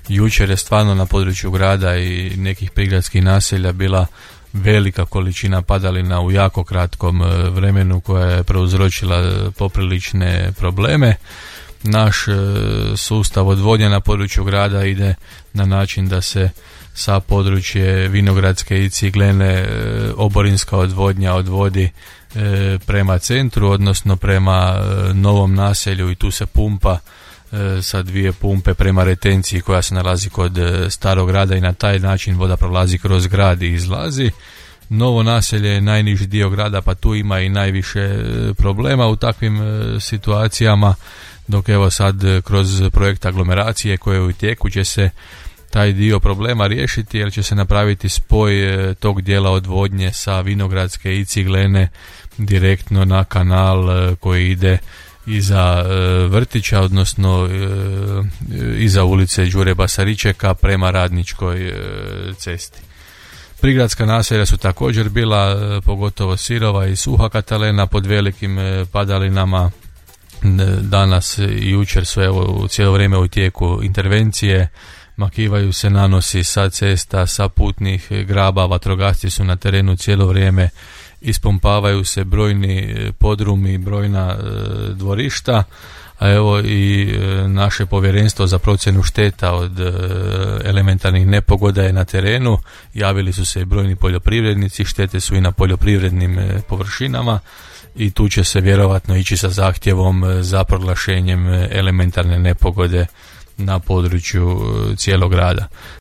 jučer je stvarno na području grada i nekih prigradskih naselja bila velika količina padalina u jako kratkom vremenu koja je prouzročila poprilične probleme. Naš sustav odvodnje na području grada ide na način da se sa područje Vinogradske i Ciglene oborinska odvodnja odvodi prema centru, odnosno prema novom naselju, i tu se pumpa sa 2 pumpe prema retenciji koja se nalazi kod starog grada i na taj način voda prolazi kroz grad i izlazi. Novo naselje je najniži dio grada, pa tu ima i najviše problema u takvim situacijama, dok evo sad kroz projekt aglomeracije koje je u tijeku će se taj dio problema riješiti, jer će se napraviti spoj tog dijela odvodnje sa Vinogradske i Ciglene direktno na kanal koji ide iza vrtića, odnosno iza ulice Đure Basaričeka prema Radničkoj cesti. Prigradska naselja su također bila, pogotovo Sirova i Suha Katalena, pod velikim padalinama. Danas i jučer su evo cijelo vrijeme u tijeku intervencije, makivaju se nanosi sa cesta, sa putnih graba, vatrogasci su na terenu cijelo vrijeme, ispumpavaju se brojni podrumi, brojna dvorišta, a evo i naše povjerenstvo za procjenu šteta od elementarnih nepogoda je na terenu. Javili su se i brojni poljoprivrednici, štete su i na poljoprivrednim površinama i tu će se vjerovatno ići sa zahtjevom za proglašenjem elementarne nepogode na području cijelog grada.